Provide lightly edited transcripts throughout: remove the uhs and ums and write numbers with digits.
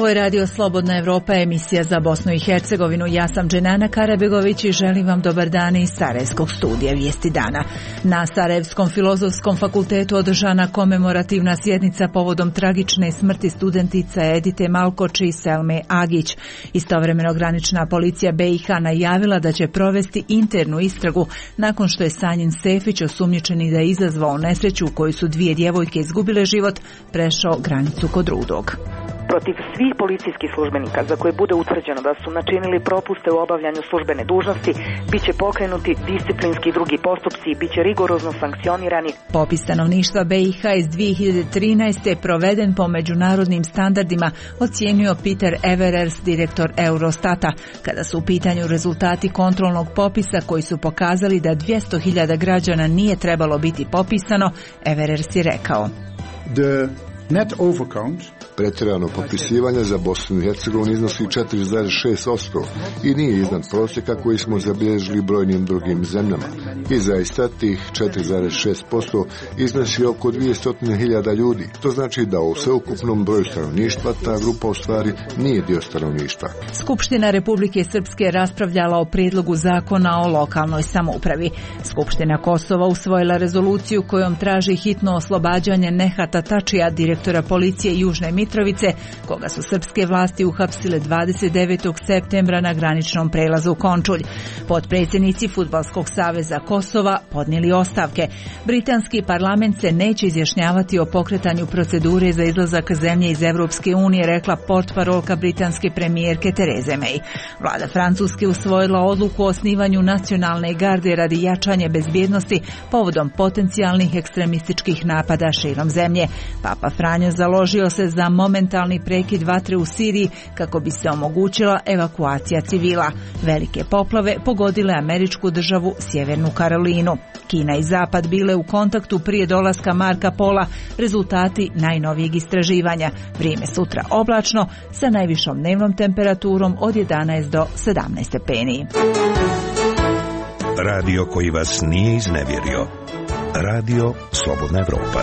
Ovo je Radio Slobodna Evropa, emisija za Bosnu i Hercegovinu. Ja sam Dženana Karabegović i želim vam dobar dan iz Sarajevskog studija Vijesti dana. Na Sarajevskom filozofskom fakultetu održana komemorativna sjednica povodom tragične smrti studentica Edite Malkoč i Selme Agić. Istovremeno granična policija BiH najavila da će provesti internu istragu nakon što je Sanjin Sefić, osumnjičeni da je izazvao nesreću u kojoj su dvije djevojke izgubile život, prešao granicu kod Rudog. Protiv svih policijskih službenika za koje bude utvrđeno da su načinili propuste u obavljanju službene dužnosti, bit će pokrenuti disciplinski i drugi postupci i bit će rigorozno sankcionirani. Popis stanovništva BiH iz 2013. proveden po međunarodnim standardima, ocijenio Peter Everers, direktor Eurostata. Kada su u pitanju rezultati kontrolnog popisa koji su pokazali da 200.000 građana nije trebalo biti popisano, Everers je rekao: Net overcount pretjerano popisivanje za Bosnu i Hercegovinu iznosi 4,6% i nije iznad prosjeka koji smo zabilježili brojnim drugim zemljama. I zaista tih 4,6% iznosi oko 200.000 ljudi. To znači da u sveukupnom broju stanovništva ta grupa u stvari nije dio stanovništva. Skupština Republike Srpske raspravljala o prijedlogu zakona o lokalnoj samoupravi. Skupština Kosova usvojila rezoluciju kojom traži hitno oslobađanje Nehata Tačija, direktora policije Južne Mitrovice, koga su srpske vlasti uhapsile 29. septembra na graničnom prelazu Končulj. Potpredsjednici Fudbalskog saveza Kosova podnijeli ostavke. Britanski parlament se neće izjašnjavati o pokretanju procedure za izlazak zemlje iz Europske unije, rekla portparolka britanske premijerke Tereze May. Vlada Francuske usvojila odluku o osnivanju nacionalne garde radi jačanja bezbjednosti povodom potencijalnih ekstremističkih napada širom zemlje. Papa Franjo založio se za momentalni prekid vatre u Siriji kako bi se omogućila evakuacija civila. Velike poplave pogodile američku državu Sjevernu Karolinu. Kina i Zapad bile u kontaktu prije dolaska Marka Pola, rezultati najnovijeg istraživanja. Vrijeme sutra oblačno sa najvišom dnevnom temperaturom od 11 do 17 stepeni. Radio koji vas nije iznevjerio. Radio Slobodna Evropa.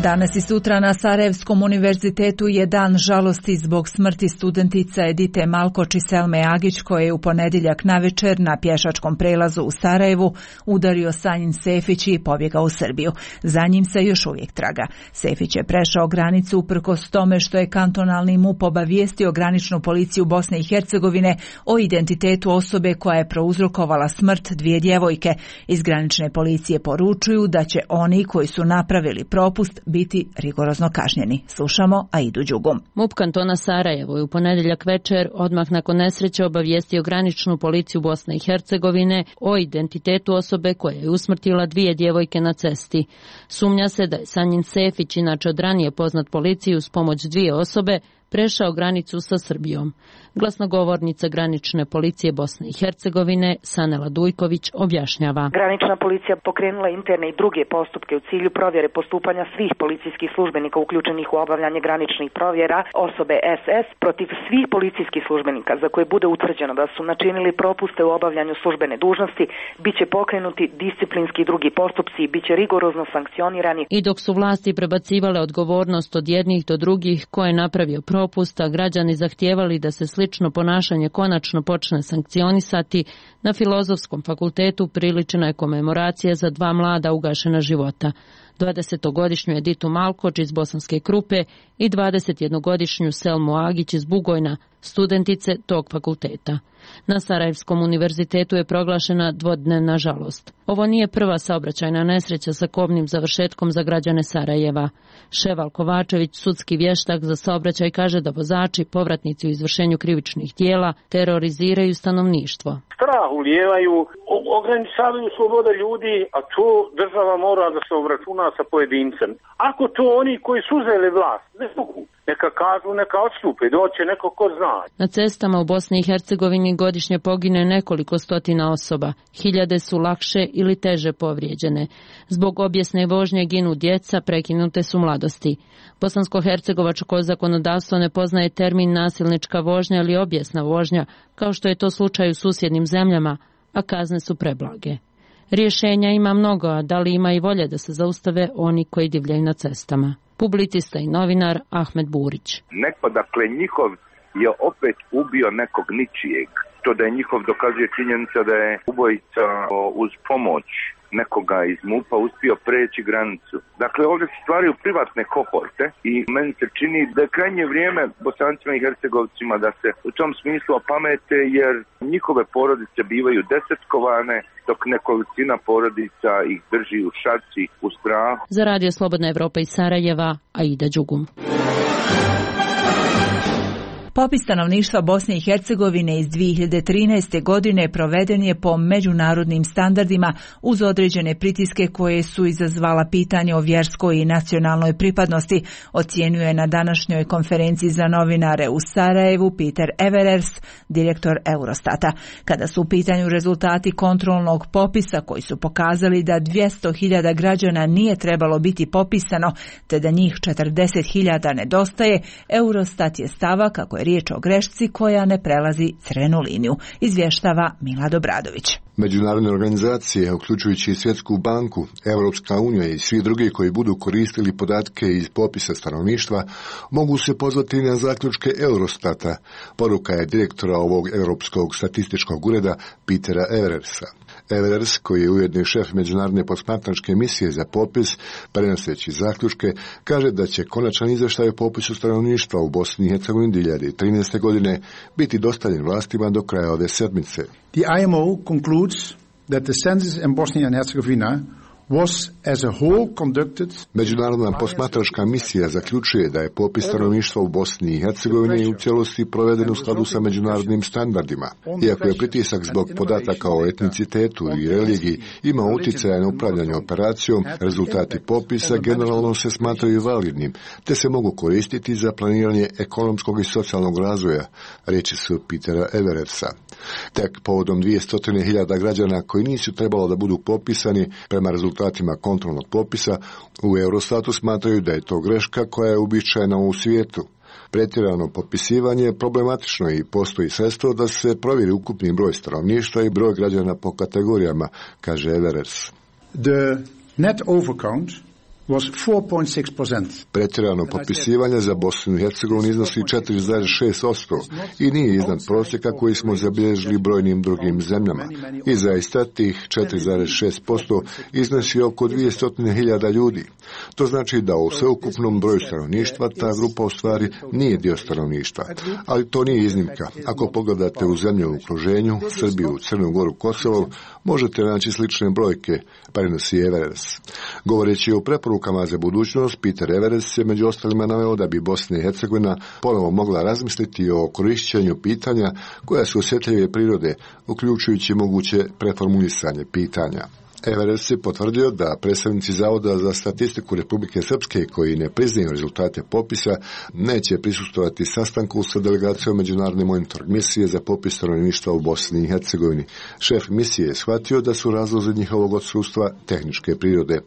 Danas i sutra na Sarajevskom univerzitetu je dan žalosti zbog smrti studentica Edite Malkoč i Selme Agić, koje je u ponedjeljak navečer na pješačkom prelazu u Sarajevu udario Sanjin Sefić i pobjegao u Srbiju. Za njim se još uvijek traga. Sefić je prešao granicu uprkos tome što je kantonalni MUP obavijestio graničnu policiju Bosne i Hercegovine o identitetu osobe koja je prouzrokovala smrt dvije djevojke. Iz granične policije poručuju da će oni koji su napravili propust biti rigorozno kažnjeni. Slušamo Aidu Đugum. MUP kantona Sarajevo je u ponedjeljak večer, odmah nakon nesreće, obavijestio graničnu policiju Bosne i Hercegovine o identitetu osobe koja je usmrtila dvije djevojke na cesti. Sumnja se da je Sanjin Sefić, inače od ranije poznat policiji uz pomoć dvije osobe, prešao granicu sa Srbijom. Glasnogovornica granične policije Bosne i Hercegovine Sanela Dujković objašnjava. Granična policija pokrenula interne i druge postupke u cilju provjere postupanja svih policijskih službenika uključenih u obavljanje graničnih provjera osobe SS protiv svih policijskih službenika za koje bude utvrđeno da su načinili propuste u obavljanju službene dužnosti, bit će pokrenuti disciplinski i drugi postupci i bit će rigorozno sankcionirani. I dok su vlasti prebacivale odgovornost od jednih do drugih ko je napravio propusta, građani zahtijevali da se slično ponašanje konačno počne sankcionisati, na Filozofskom fakultetu priličena je komemoracija za dva mlada ugašena života. 20-godišnju Editu Malkoč iz Bosanske Krupe i 21-godišnju Selmu Agić iz Bugojna, studentice tog fakulteta. Na Sarajevskom univerzitetu je proglašena dvodnevna žalost. Ovo nije prva saobraćajna nesreća sa kobnim završetkom za građane Sarajeva. Ševal Kovačević, sudski vještak za saobraćaj, kaže da vozači, povratnici u izvršenju krivičnih djela, teroriziraju stanovništvo. Strah ulijevaju, ograničavaju slobode ljudi, a to država mora da se obračuna sa pojedincem. Ako to oni koji su uzeli vlast ne mogu, neka kažu, neka odstupe, doće neko ko zna. Na cestama u Bosni i Hercegovini godišnje pogine nekoliko stotina osoba. Hiljade su lakše ili teže povrijeđene. Zbog obijesne vožnje ginu djeca, prekinute su mladosti. Bosansko-hercegovačko zakonodavstvo ne poznaje termin nasilnička vožnja ili obijesna vožnja, kao što je to slučaj u susjednim zemljama, a kazne su preblage. Rješenja ima mnogo, a da li ima i volje da se zaustave oni koji divljaju na cestama? publicista i novinar Ahmed Burić. Neko, dakle, njihov je opet ubio nekog ničijeg. To da je njihov dokazuje činjenica da je ubojica uz pomoć nekoga iz MUP-a uspio preći granicu. Dakle, ovdje se stvaraju privatne kohorte i meni se čini da je krajnje vrijeme Bosancima i Hercegovcima da se u tom smislu opamete, jer njihove porodice bivaju desetkovane, dok nekolicina porodica ih drži u šaci, u strahu. Za Radio Slobodna Evropa iz Sarajeva, Aida Đugum. Popis stanovništva Bosne i Hercegovine iz 2013. godine proveden je po međunarodnim standardima uz određene pritiske koje su izazvala pitanje o vjerskoj i nacionalnoj pripadnosti, ocjenjuje na današnjoj konferenciji za novinare u Sarajevu Peter Everers, direktor Eurostata. Kada su u pitanju rezultati kontrolnog popisa koji su pokazali da 200.000 građana nije trebalo biti popisano, te da njih 40.000 nedostaje, Eurostat je stava kako je riječ o grešci koja ne prelazi crvenu liniju, izvještava Milad Obradović. Međunarodne organizacije, uključujući i Svjetsku banku, Europska unija i svi drugi koji budu koristili podatke iz popisa stanovništva, mogu se pozvati na zaključke Eurostata, poruka je direktora ovog Europskog statističkog ureda Petera Everersa. Everers, koji je ujedno šef međunarodne posmatračke misije za popis, prenoseći zaključke, kaže da će konačan izvještaj o popisu stanovništva u Bosni i Hercegovini 2013. godine biti dostavljen vlastima do kraja ove sedmice. The IMO concludes that the census in Bosnia and Herzegovina was as a whole conducted. Međunarodna posmatračka misija zaključuje da je popis stanovništva u Bosni i Hercegovini u cijelosti proveden u skladu sa međunarodnim standardima. Iako je pritisak zbog podataka o etnicitetu i religiji imao utjecaja na upravljanje operacijom, rezultati popisa generalno se smatraju validnim, te se mogu koristiti za planiranje ekonomskog i socijalnog razvoja, riječi su Petera Everersa. Tek povodom 200.000 građana koji nisu trebalo da budu popisani prema rezultatima kontrolnog popisa, u Eurostatu smatraju da je to greška koja je uobičajena u svijetu. Pretjerano popisivanje je problematično i postoji sredstvo da se provjeri ukupni broj stanovništva i broj građana po kategorijama, kaže Everers. The net overcount was 4.6%. Pretjerano popisivanje za Bosnu i Hercegovinu iznosi 4,6% i nije iznad prosjeka koji smo zabilježili brojnim drugim zemljama. I zaista tih 4,6% iznosi oko 200.000 ljudi. To znači da u sveukupnom broju stanovništva ta grupa u stvari nije dio stanovništva. Ali to nije iznimka. Ako pogledate u zemlju u okruženju, Srbiju, Crnu Goru, Kosovo, možete naći slične brojke, prenosi Everers. Govoreći o preporukama za budućnost, Peter Everers je među ostalima naveo da bi Bosna i Hercegovina ponovo mogla razmisliti o korišćenju pitanja koja su osjetljive prirode, uključujući moguće preformulisanje pitanja. Everers je potvrdio da predstavnici Zavoda za statistiku Republike Srpske koji ne priznaju rezultate popisa neće prisustvovati sastanku sa delegacijom Međunarodne monitoring misije za popis stanovništva u Bosni i Hercegovini. Šef misije je shvatio da su razlozi njihovog odsustva tehničke prirode.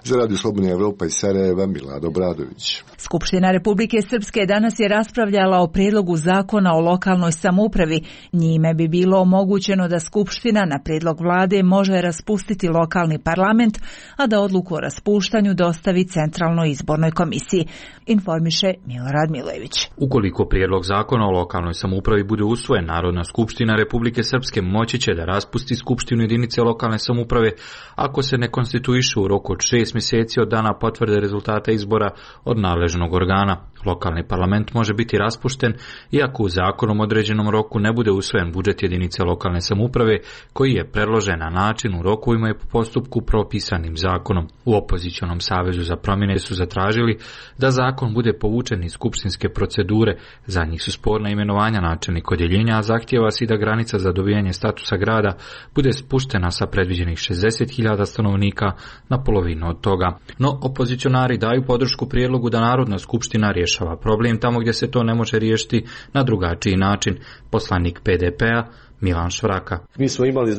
Za Radio Slobodna Evropa iz Sarajeva, Milad Obradović. Skupština Republike Srpske danas je raspravljala o prijedlogu zakona o lokalnoj samoupravi. Njime bi bilo omogućeno da Skupština na prijedlog vlade može raspustiti lokalni parlament, a da odluku o raspuštanju dostavi Centralnoj izbornoj komisiji, informiše Milorad Milojević. Ukoliko prijedlog zakona o lokalnoj samoupravi bude usvojen, Narodna skupština Republike Srpske moći će da raspusti skupštinu jedinice lokalne samouprave ako se ne konstituiše u roku od 6 mjeseci od dana potvrde rezultata izbora od nadležnog organa. Lokalni parlament može biti raspušten iako u zakonom određenom roku ne bude usvojen budžet jedinice lokalne samouprave koji je predložen na način u rokovima i po postupku propisanim zakonom. U opozicionom savezu za promjene su zatražili da zakon bude povučen iz skupštinske procedure. Za njih su sporna imenovanja načelnika odjeljenja, a zahtijeva se da granica za dobijanje statusa grada bude spuštena sa predviđenih 60.000 stanovnika na polovinu od toga. No, opozicionari daju podršku prijedlogu da Narodna skupština rješava problem tamo gdje se to ne može riješiti na drugačiji način. Poslanik PDP-a Milan Švraka. Mi smo imali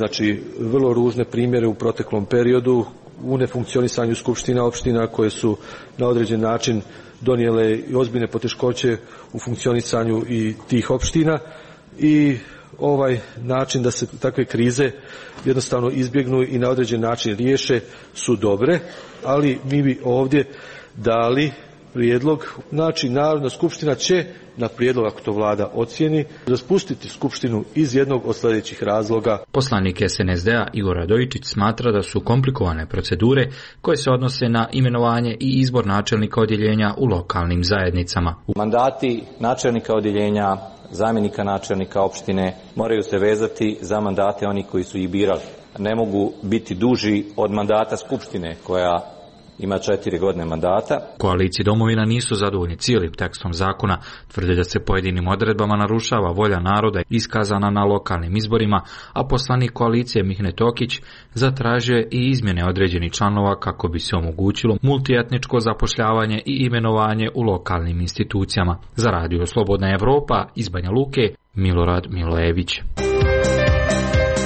vrlo ružne primjere u proteklom periodu u nefunkcionisanju skupština opština koje su na određen način donijele ozbiljne poteškoće u funkcionisanju i tih opština i ovaj način da se takve krize jednostavno izbjegnu i na određen način riješe su dobre, ali mi bi ovdje dali prijedlog. Znači, Narodna skupština će, na prijedlog ako to vlada ocijeni, raspustiti skupštinu iz jednog od sljedećih razloga. Poslanik SNSD-a Igor Radojičić smatra da su komplikovane procedure koje se odnose na imenovanje i izbor načelnika odjeljenja u lokalnim zajednicama. Mandati načelnika odjeljenja, zamjenika načelnika opštine moraju se vezati za mandate onih koji su ih birali. Ne mogu biti duži od mandata skupštine koja ima 4 godine mandata. Koaliciji Domovina nisu zadovoljni cijelim tekstom zakona, tvrde da se pojedinim odredbama narušava volja naroda iskazana na lokalnim izborima, a poslanik koalicije Mihne Tokić zatražio je i izmjene određenih članova kako bi se omogućilo multietničko zapošljavanje i imenovanje u lokalnim institucijama. Za Radio Slobodna Evropa iz Banja Luke, Milorad Milojević.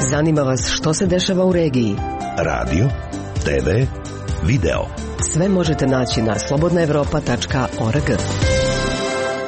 Zanima vas što se dešava u regiji? Radio, TV, video. Sve možete naći na slobodnaevropa.org.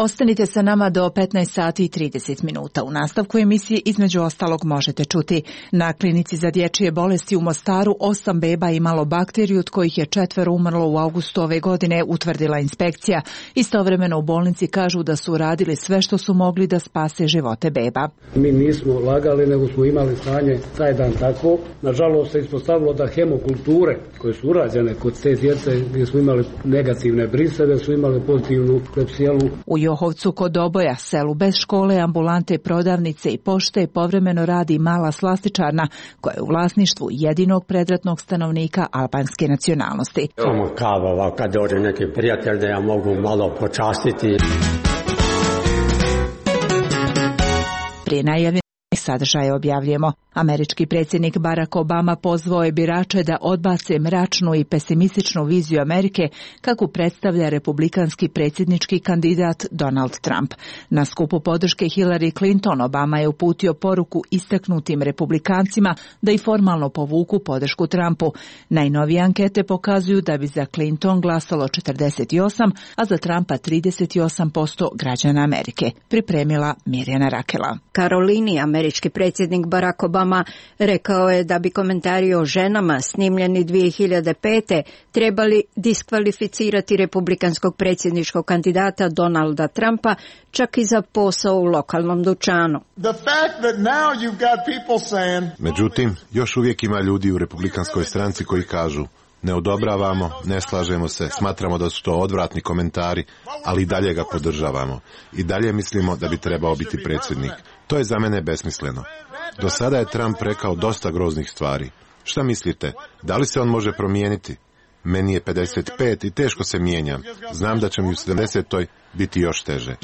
Ostanite sa nama do 15 sati i 30 minuta. U nastavku emisije između ostalog možete čuti: na klinici za dječje bolesti u Mostaru 8 beba imalo bakteriju, od kojih je 4 umrlo u avgustu ove godine, utvrdila inspekcija. Istovremeno u bolnici kažu da su radili sve što su mogli da spase živote beba. Mi nismo lagali, nego smo imali stanje taj dan tako. Nažalost se ispostavilo da hemokulture koje su urađene kod te djece, gdje smo imali negativne briseve, su imali pozitivnu klepsijelu. U Johovcu kod Oboja, selu bez škole, ambulante, prodavnice i pošte, povremeno radi mala slastičarna koja je u vlasništvu jedinog predratnog stanovnika albanske nacionalnosti. Samo kava, kad dođe neki prijatelj da ja mogu malo počastiti. Prije najavljenih sadržaje objavljujemo. Američki predsjednik Barack Obama pozvao je birače da odbace mračnu i pesimističnu viziju Amerike kako predstavlja republikanski predsjednički kandidat Donald Trump. Na skupu podrške Hillary Clinton Obama je uputio poruku istaknutim republikancima da i formalno povuku podršku Trumpu. Najnovije ankete pokazuju da bi za Clinton glasalo 48, a za Trumpa 38% građana Amerike. Pripremila Mirjana Rakela. Karolini, američki predsjednik Barack Obama rekao je da bi komentari o ženama snimljeni 2005. trebali diskvalificirati republikanskog predsjedničkog kandidata Donalda Trumpa čak i za posao u lokalnom dućanu. Međutim, još uvijek ima ljudi u republikanskoj stranci koji kažu: ne odobravamo, ne slažemo se, smatramo da su to odvratni komentari, ali i dalje ga podržavamo. I dalje mislimo da bi trebao biti predsjednik. To je za mene besmisleno. Do sada je Trump rekao dosta groznih stvari. Šta mislite, da li se on može promijeniti? Meni je 55 i teško se mijenjam. Znam da će mi u 70. biti još teže.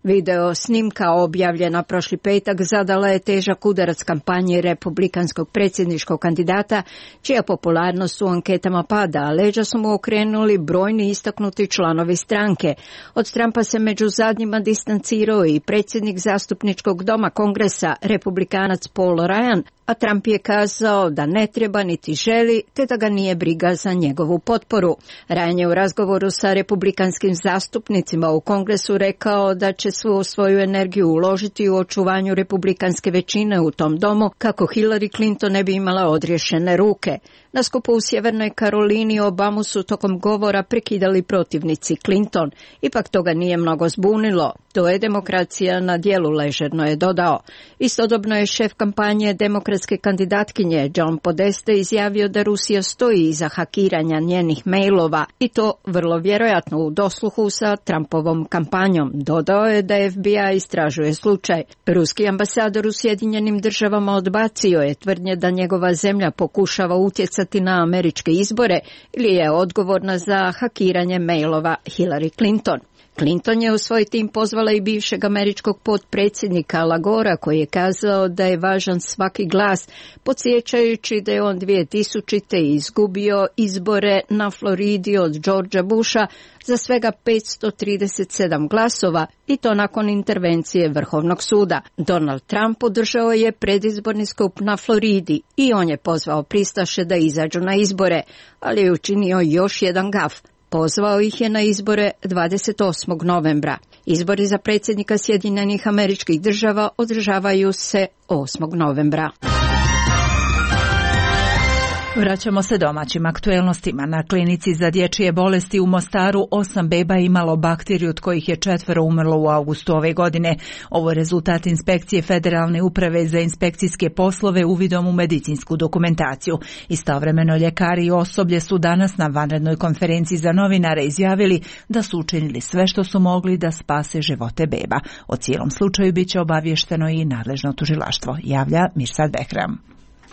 Video snimka objavljena prošli petak zadala je težak udarac kampanje republikanskog predsjedničkog kandidata, čija popularnost u anketama pada, a leđa su mu okrenuli brojni istaknuti članovi stranke. Od Trumpa se među zadnjima distancirao i predsjednik zastupničkog doma Kongresa, republikanac Paul Ryan, a Trump je kazao da ne treba niti želi, te da ga nije briga za njegovu potporu. Ryan je u razgovoru sa republikanskim zastupnicima u Kongresu rekao da će svu svoju energiju uložiti u očuvanju republikanske većine u tom domu kako Hillary Clinton ne bi imala odriješene ruke. Na skupu u Sjevernoj Karolini Obamu su tokom govora prekidali protivnici Clinton. Ipak toga nije mnogo zbunilo. To je demokracija na djelu, ležerno je dodao. Istodobno je šef kampanje demokratske kandidatkinje John Podesta izjavio da Rusija stoji iza hakiranja njenih mailova i to vrlo vjerojatno u dosluhu sa Trumpovom kampanjom. Dodao je da FBI istražuje slučaj. Ruski ambasador u Sjedinjenim Državama odbacio je tvrdnje da njegova zemlja pokušava utjecati na američke izbore ili je odgovorna za hakiranje mailova Hillary Clinton. Clinton je u svoj tim pozvala i bivšeg američkog potpredsjednika Al Gora, koji je kazao da je važan svaki glas, podsjećajući da je on 2000. izgubio izbore na Floridi od Georgea Busha za svega 537 glasova i to nakon intervencije Vrhovnog suda. Donald Trump održao je predizborni skup na Floridi i on je pozvao pristaše da izađu na izbore, ali je učinio još jedan gaf. Pozvao ih je na izbore 28. novembra. Izbori za predsjednika Sjedinjenih Američkih Država održavaju se 8. novembra. Vraćamo se domaćim aktuelnostima. Na klinici za dječje bolesti u Mostaru 8 beba imalo bakteriju, od kojih je 4 umrlo u avgustu ove godine. Ovo je rezultat inspekcije Federalne uprave za inspekcijske poslove uvidom u medicinsku dokumentaciju. Istovremeno ljekari i osoblje su danas na vanrednoj konferenciji za novinare izjavili da su učinili sve što su mogli da spase živote beba. O cijelom slučaju bit će obavješteno i nadležno tužilaštvo, javlja Mirsad Behram.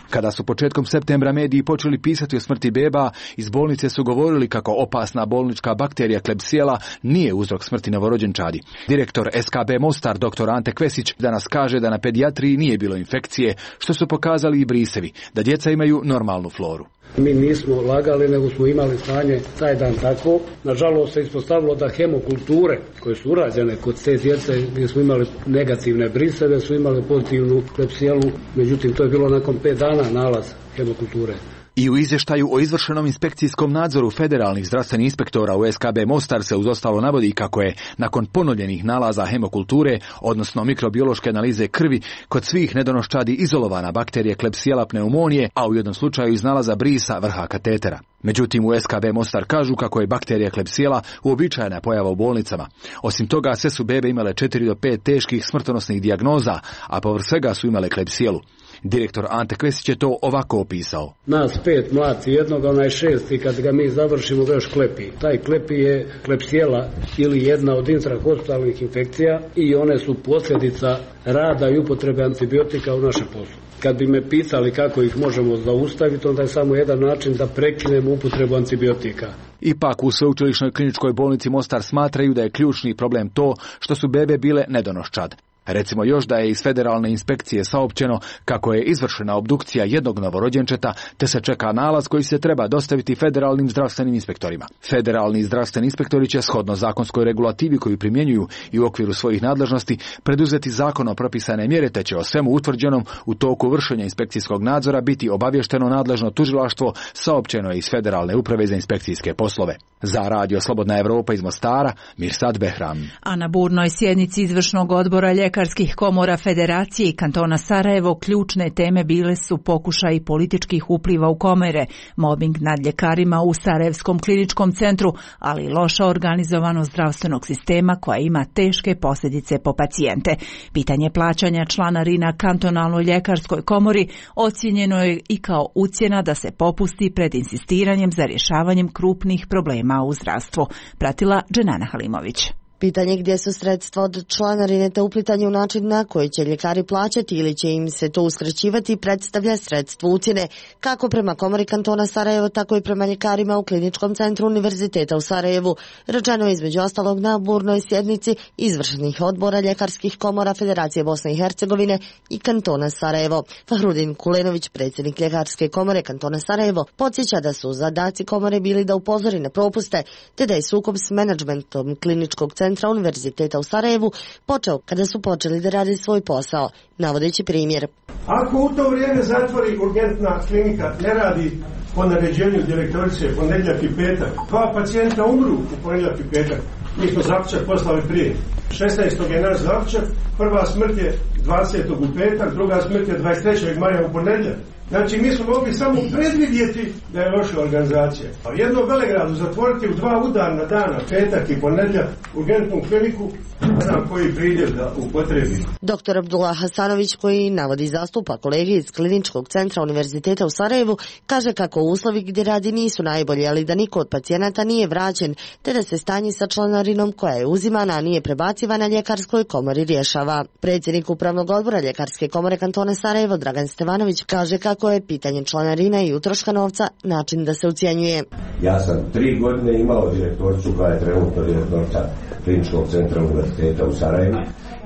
Kada su početkom septembra mediji počeli pisati o smrti beba, iz bolnice su govorili kako opasna bolnička bakterija Klebsiella nije uzrok smrti novorođenčadi. Direktor SKB Mostar, dr. Ante Kvesić, danas kaže da na pedijatriji nije bilo infekcije, što su pokazali i brisevi, da djeca imaju normalnu floru. Mi nismo lagali, nego smo imali stanje taj dan tako. Nažalost se ispostavilo da hemokulture koje su urađene kod te djece gdje smo imali negativne briseve su imali pozitivnu Klebsiellu, međutim to je bilo nakon 5 dana nalaz hemokulture. I u izvještaju o izvršenom inspekcijskom nadzoru federalnih zdravstvenih inspektora u SKB Mostar se uz ostalo navodi kako je nakon ponovljenih nalaza hemokulture, odnosno mikrobiološke analize krvi, kod svih nedonoščadi izolovana bakterija Klebsiella pneumonije, a u jednom slučaju iz nalaza brisa vrha katetera. Međutim, u SKB Mostar kažu kako je bakterija Klebsiella uobičajena pojava u bolnicama. Osim toga, sve su bebe imale 4 do 5 teških smrtonosnih dijagnoza, a povrh svega su imale Klebsiellu. Direktor Ante Kvesić je to ovako opisao. Nas 5 mlati, jednog, onaj 6 i kad ga mi završimo ga još klepi. Taj klepi je Klebsiella ili jedna od intrahospitalnih infekcija i one su posljedica rada i upotrebe antibiotika u našem poslu. Kad bi me pitali kako ih možemo zaustaviti, onda je samo jedan način da prekinemo upotrebu antibiotika. Ipak u Sveučilišnoj kliničkoj bolnici Mostar smatraju da je ključni problem to što su bebe bile nedonoščad. Recimo još da je iz federalne inspekcije saopćeno kako je izvršena obdukcija jednog novorođenčeta, te se čeka nalaz koji se treba dostaviti federalnim zdravstvenim inspektorima. Federalni zdravstveni inspektori će shodno zakonskoj regulativi koju primjenjuju i u okviru svojih nadležnosti preduzeti zakonom propisane mjere, te će o svemu utvrđenom u toku vršenja inspekcijskog nadzora biti obavješteno nadležno tužilaštvo, saopćeno je iz Federalne uprave za inspekcijske poslove. Za Radio Slobodna Evropa iz Mostara, Mirsad Behram. A na burnoj sjednici izvršnog odbora ljekarskih komora Federacije i kantona Sarajevo ključne teme bile su pokušaj političkih upliva u komore, mobbing nad ljekarima u Sarajevskom kliničkom centru, ali i loša organizovanost zdravstvenog sistema koja ima teške posljedice po pacijente. Pitanje plaćanja članarina kantonalnoj ljekarskoj komori ocijenjeno je i kao ucjena da se popusti pred insistiranjem za rješavanjem krupnih problema u zdravstvu. Pratila Dženana Halimović. Pitanje gdje su sredstva od članarine te uplitanje u način na koji će ljekari plaćati ili će im se to uskraćivati predstavlja sredstvo ucjene, kako prema komori kantona Sarajevo, tako i prema ljekarima u kliničkom centru Univerziteta u Sarajevu. Rečeno je između ostalog na burnoj sjednici izvršnih odbora ljekarskih komora Federacije Bosne i Hercegovine i kantona Sarajevo. Fahrudin Kulenović, predsjednik ljekarske komore kantona Sarajevo, podsjeća da su zadaci komore bili da upozori na propuste, te da je sukob s menadžmentom kliničkog centra Univerziteta u Sarajevu počeo kada su počeli da radi svoj posao, navodeći primjer. Ako u to vrijeme zatvori urgentna klinika, ne radi po naređenju direktorice ponedjeljak i petak, 2 pacijenta umru u ponedjeljak i petak, mi smo zaključak poslali prije. 16. je naš zaključak, prva smrt je 20. u petak, druga smrt je 23. maja u ponedjeljak. Znači, mi smo mogli samo predvidjeti da je loša organizacija. A jedno Velegradu zatvoriti u 2 udarna dana, petak i ponedjeljak, urgentnu kliniku, ne znam koji pridjev da upotrebi. Dr. Abdullah Hasanović, koji navodi zastupa kolege iz kliničkog centra Univerziteta u Sarajevu, kaže kako uslovi gdje radi nisu najbolji, ali da niko od pacijenata nije vraćen, te da se stanje sa članarinom koja je uzimana, a nije prebacivana ljekarskoj komori rješava. Predsjednik upravnog odbora ljekarske komore kantona Sarajevo, Dragan Stevanović, kaže kako je pitanje članarina i utroška novca način da se ucijenjuje. Ja sam 3 godine imao direktoricu koja je trenutno direktorica kliničkog centra Univerziteta u Sarajevu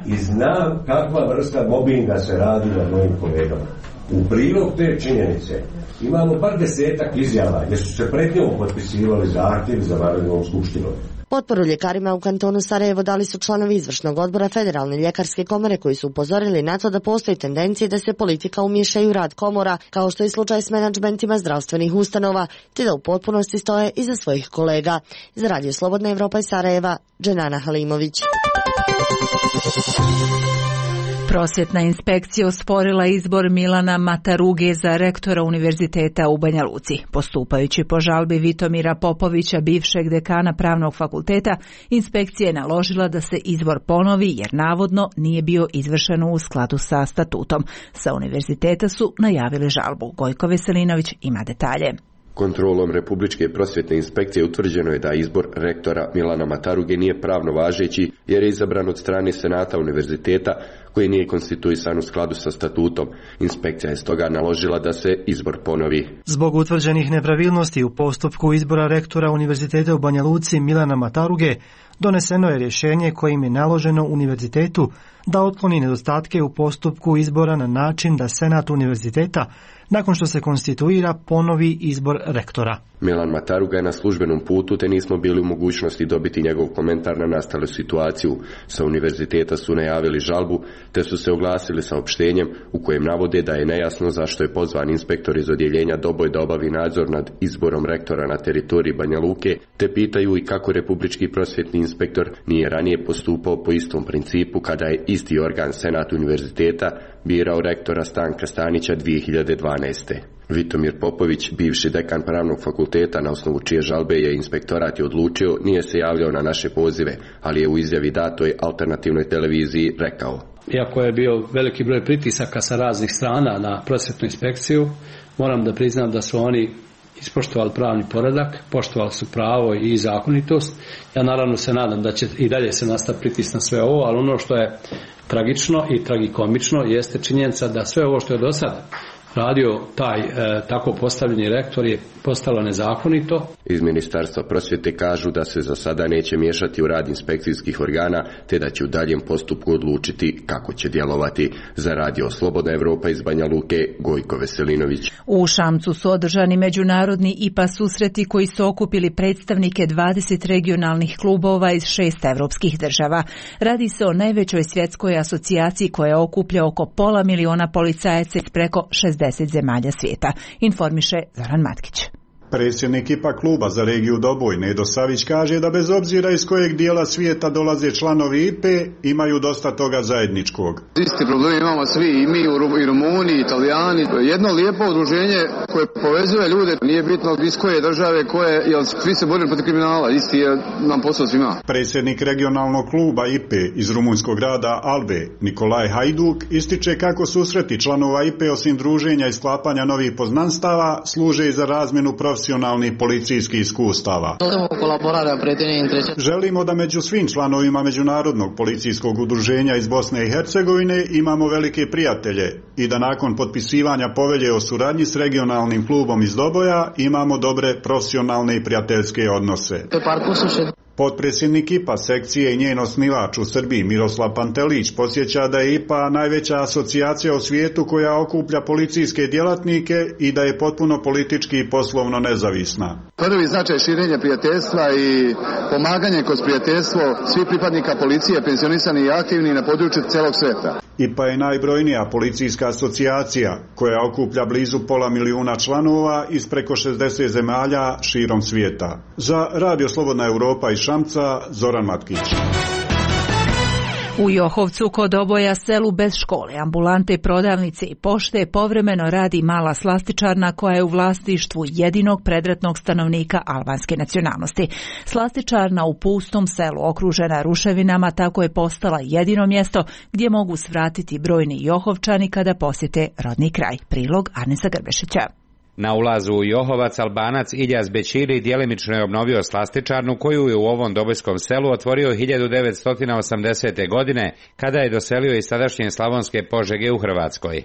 i znam kakva vrsta mobinga se radi nad mojim kolegama. U prilog te činjenice imamo bar 10-ak izjava gdje su se pred njom potpisivali zahtjev za vanrednom skupštinom. Potporu ljekarima u kantonu Sarajevo dali su članovi izvršnog odbora Federalne ljekarske komore koji su upozorili na to da postoji tendencije da se politika umiješa u rad komora, kao što je slučaj s menadžmentima zdravstvenih ustanova, te da u potpunosti stoje iza svojih kolega. Za Radio Slobodna Evropa iz Sarajeva, Dženana Halimović. Prosvjetna inspekcija osporila izbor Milana Mataruge za rektora Univerziteta u Banja Luci. Postupajući po žalbi Vitomira Popovića, bivšeg dekana Pravnog fakulteta, inspekcija je naložila da se izbor ponovi jer navodno nije bio izvršen u skladu sa statutom. Sa univerziteta su najavili žalbu. Gojko Veselinović ima detalje. Kontrolom Republičke prosvjetne inspekcije utvrđeno je da izbor rektora Milana Mataruge nije pravno važeći jer je izabran od strane Senata univerziteta koji nije konstituisan u skladu sa statutom. Inspekcija je stoga naložila da se izbor ponovi. Zbog utvrđenih nepravilnosti u postupku izbora rektora Univerziteta u Banja Luci Milana Mataruge doneseno je rješenje kojim je naloženo univerzitetu da otkloni nedostatke u postupku izbora na način da Senat univerziteta, nakon što se konstituira, ponovi izbor rektora. Milan Mataruga je na službenom putu te nismo bili u mogućnosti dobiti njegov komentar na nastalu situaciju. Sa univerziteta su najavili žalbu te su se oglasili saopštenjem u kojem navode da je nejasno zašto je pozvan inspektor iz odjeljenja Doboj da obavi nadzor nad izborom rektora na teritoriji Banja Luke te pitaju i kako Republički prosvjetni inspektor nije ranije postupao po istom principu kada je isti organ Senat univerziteta birao rektora Stanka Stanića 2012. Vitomir Popović, bivši dekan Pravnog fakulteta, na osnovu čije žalbe je inspektorat odlučio, nije se javljao na naše pozive, ali je u izjavi datoj alternativnoj televiziji rekao: Iako je bio veliki broj pritisaka sa raznih strana na prosvjetnu inspekciju, moram da priznam da su oni ispoštovali pravni poredak, poštovali su pravo i zakonitost. Ja naravno se nadam da će i dalje se nastaviti pritisk na sve ovo, ali ono što je tragično i tragikomično jeste činjenica da sve ovo što je do sada radio taj tako postavljeni rektor je postalo nezakonito. Iz Ministarstva prosvjete kažu da se za sada neće miješati u rad inspekcijskih organa, te da će u daljem postupku odlučiti kako će djelovati. Za Radio Slobodna Evropa iz Banja Luke, Gojko Veselinović. U Šamcu su održani međunarodni IPA susreti koji su okupili predstavnike 20 regionalnih klubova iz 6 evropskih država. Radi se o najvećoj svjetskoj asocijaciji koja okuplja oko 500.000 policajaca iz preko 60 zemalja svijeta, informiše Zoran Matkić. Predsjednik IPA kluba za regiju Doboj, Nedo Savić, kaže da bez obzira iz kojeg dijela svijeta dolaze članovi IPE, imaju dosta toga zajedničkog. Isti problem imamo svi, i mi, i Rumuni, i Italijani. Jedno lijepo udruženje koje povezuje ljude, nije bitno iz koje države, jer svi se borimo protiv kriminala, isti je nam posao svima. Predsjednik regionalnog kluba IPE iz rumunjskog grada Albe, Nikolaj Hajduk, ističe kako susreti članova IPE osim druženja i sklapanja novih poznanstava služe i za razmjenu profesionalnih policijskih iskustava. Želimo da među svim članovima Međunarodnog policijskog udruženja iz Bosne i Hercegovine imamo velike prijatelje i da nakon potpisivanja povelje o suradnji s regionalnim klubom iz Doboja imamo dobre profesionalne i prijateljske odnose. Potpredsjednik IPA sekcije i njen osnivač u Srbiji Miroslav Pantelić podsjeća da je IPA najveća asocijacija u svijetu koja okuplja policijske djelatnike i da je potpuno politički i poslovno nezavisna. Prvi značaj širenja prijateljstva i pomaganje kroz prijateljstvo svih pripadnika policije, pensionisani i aktivni na području celog svijeta. IPA je najbrojnija policijska asocijacija koja okuplja blizu 500.000 članova iz preko 60 zemalja širom svijeta. Za Radio Slobodna Evropa iz Šamca, Zoran Matkić. U Johovcu kod Doboja, selu bez škole, ambulante, prodavnice i pošte, povremeno radi mala slastičarna koja je u vlasništvu jedinog predratnog stanovnika albanske nacionalnosti. Slastičarna u pustom selu, okružena ruševinama, tako je postala jedino mjesto gdje mogu svratiti brojni Johovčani kada posjete rodni kraj. Prilog Arnesa Grbešića. Na ulazu u Johovac Albanac Iljaz Bećiri djelimično je obnovio slastičarnu koju je u ovom dobojskom selu otvorio 1980. godine kada je doselio iz sadašnje Slavonske Požege u Hrvatskoj.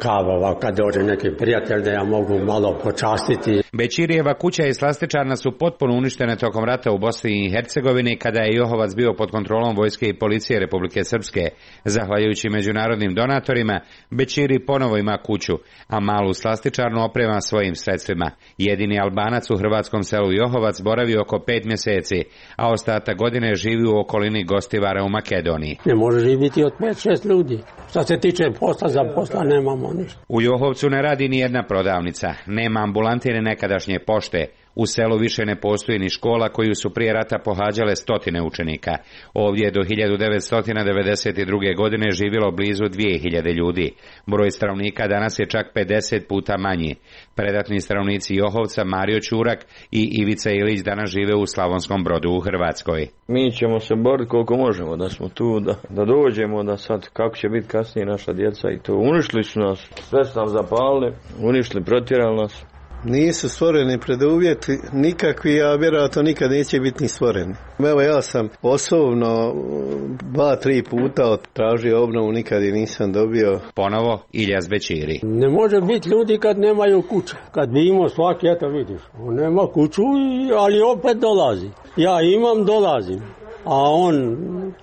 Kava, kad dođe neki prijatelj da ja mogu malo počastiti. Bećirijeva kuća i slastičarna su potpuno uništene tokom rata u Bosni i Hercegovini kada je Johovac bio pod kontrolom vojske i policije Republike Srpske. Zahvaljujući međunarodnim donatorima, Bećiri ponovo ima kuću, a malu slastičarnu oprema svojim sredstvima. Jedini Albanac u hrvatskom selu Johovac boravi oko 5 mjeseci, a ostatak godine živi u okolini Gostivara u Makedoniji. Ne može živjeti od 5-6 ljudi. Što se tiče posla, za posla nemamo ništa. U Johovcu ne radi ni jedna prodavnica, nema ambulante ni nekadašnje pošte. U selu više ne postoji ni škola koju su prije rata pohađale stotine učenika. Ovdje je do 1992. godine živjelo blizu 2000 ljudi. Broj stanovnika danas je čak 50 puta manji. Predatni stanovnici Johovca, Mario Ćurak i Ivica Ilić danas žive u Slavonskom Brodu u Hrvatskoj. Mi ćemo se boriti koliko možemo da smo tu, da dođemo, da sad kako će biti kasnije naša djeca i to. Uništili su nas, sve su nam zapalili, uništili, protjerali nas. Nisu stvoreni preduvjeti nikakvi, a vjerojatno nikad neće biti ni stvoreni. Evo ja sam osobno 2-3 puta tražio obnovu, nikad je nisam dobio. Ponovo Iljaz Bećiri. Ne može biti ljudi kad nemaju kuće. Kad bi imao svaki, eto vidiš, on nema kuću, ali opet dolazi. Ja imam, dolazim. A on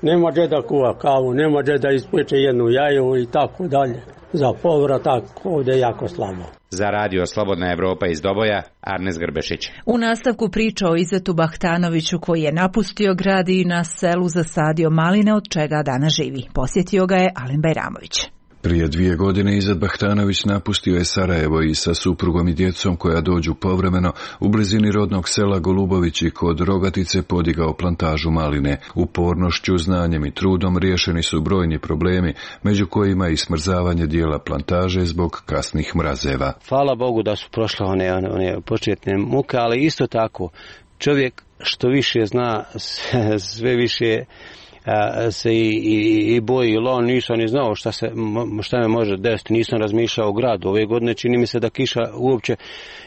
nema gdje da kuva kavu, nema gdje da ispeče jednu jaju i tako dalje. Za povratak ovdje jako slabo. Za radio Slobodna Evropa iz Doboja, Arnes Grbešić. U nastavku priča o Izetu Bahtanoviću koji je napustio grad i na selu zasadio maline od čega danas živi. Posjetio ga je Alen Bajramović. Prije 2 godine Izet Bahtanović napustio je Sarajevo i sa suprugom i djecom koja dođu povremeno u blizini rodnog sela Golubović i kod Rogatice podigao plantažu maline. Upornošću, znanjem i trudom riješeni su brojni problemi, među kojima i smrzavanje dijela plantaže zbog kasnih mrazeva. Hvala Bogu da su prošle one početne muke, ali isto tako čovjek što više zna, sve više se i boji, on nisam ni znao šta me može desiti, nisam razmišljao o gradu. Ove godine čini mi se da kiša uopće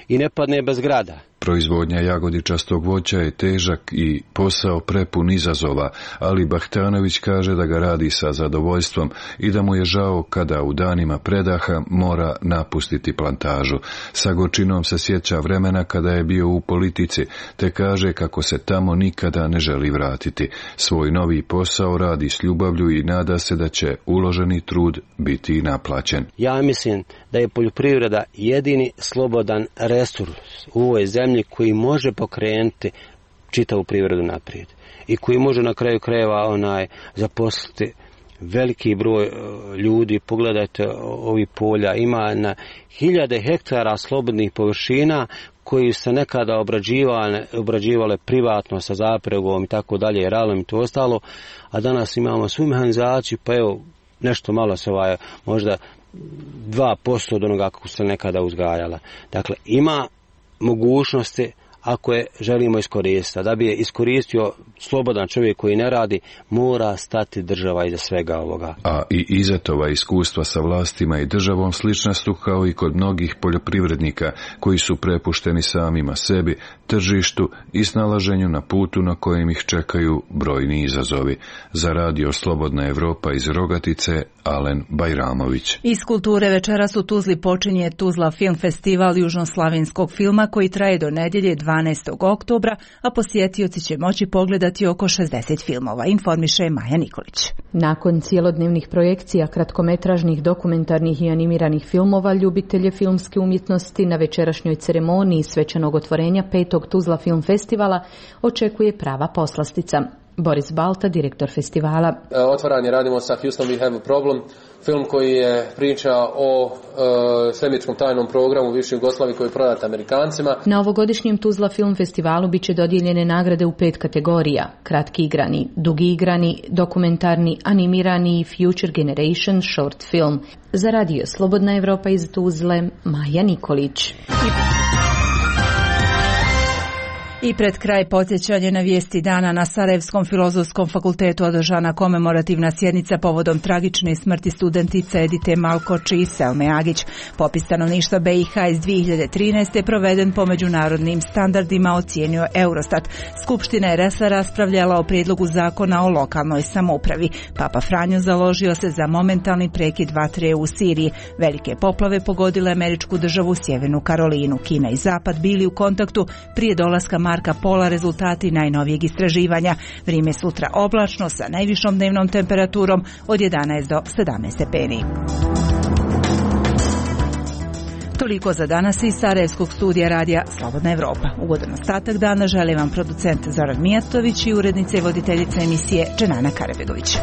i ne padne bez grada. Proizvodnja jagodičastog voća je težak i posao prepun izazova, ali Bahtanović kaže da ga radi sa zadovoljstvom i da mu je žao kada u danima predaha mora napustiti plantažu. Sa gorčinom se sjeća vremena kada je bio u politici, te kaže kako se tamo nikada ne želi vratiti. Svoj novi posao radi s ljubavlju i nada se da će uloženi trud biti naplaćen. Ja mislim da je poljoprivreda jedini slobodan resurs u ovoj zemlji koji može pokrenuti čitavu privredu naprijed i koji može na kraju krajeva zaposliti veliki broj ljudi. Pogledajte ovi polja, ima na 1000 hektara slobodnih površina koji se nekada obrađivale privatno sa zapregom i tako dalje, ralom i to ostalo, a danas imamo svu mehanizaciju, pa evo nešto malo se možda 2% od onoga kako se nekada uzgajala. Dakle, ima mogućnosti ako je želimo iskoristiti. Da bi je iskoristio slobodan čovjek koji ne radi, mora stati država iza svega ovoga. A i Izetova iskustva sa vlastima i državom slična su kao i kod mnogih poljoprivrednika koji su prepušteni samima sebi, tržištu i snalaženju na putu na kojem ih čekaju brojni izazovi. Za radio Slobodna Evropa iz Rogatice, Alen Bajramović. Iz kulture večeras u Tuzli počinje Tuzla film festival južnoslavenskog filma koji traje do nedjelje 12. oktobra, a posjetioci će moći pogledati oko 60 filmova, informiše Maja Nikolić. Nakon cijelodnevnih projekcija kratkometražnih, dokumentarnih i animiranih filmova, ljubitelje filmske umjetnosti na večerašnjoj ceremoniji svečanog otvorenja 5. Tuzla film festivala očekuje prava poslastica. Boris Balta, direktor festivala. Otvaranje radimo sa Houston We Have a Problem, film koji je priča o svemirskom tajnom programu u bivšoj Jugoslaviji koji je prodat Amerikancima. Na ovogodišnjem Tuzla film festivalu bit će dodijeljene nagrade u 5 kategorija: kratki igrani, dugi igrani, dokumentarni, animirani i Future Generation short film. Za radio Slobodna Evropa iz Tuzle, Maja Nikolić. I pred kraj podsjećanje na vijesti dana. Na Sarajevskom filozofskom fakultetu održana komemorativna sjednica povodom tragične smrti studentice Edite Malkoč i Selme Agić. Popis stanovništva BiH iz 2013. proveden po međunarodnim standardima, ocijenio Eurostat. Skupština je raspravljala o prijedlogu zakona o lokalnoj samoupravi. Papa Franjo založio se za momentalni prekid vatre u Siriji. Velike poplave pogodile američku državu Sjevernu Karolinu. Kina i Zapad bili u kontaktu prije dolaska Marka Pola, rezultati najnovijeg istraživanja. Vrijeme sutra oblačno sa najvišom dnevnom temperaturom od 11 do 17 stepeni. Toliko za danas iz Sarajevskog studija radija Slobodna Evropa. Ugodan ostatak dana želi vam producent Zoran Mijatović i urednica i voditeljica emisije Dženana Karabegović.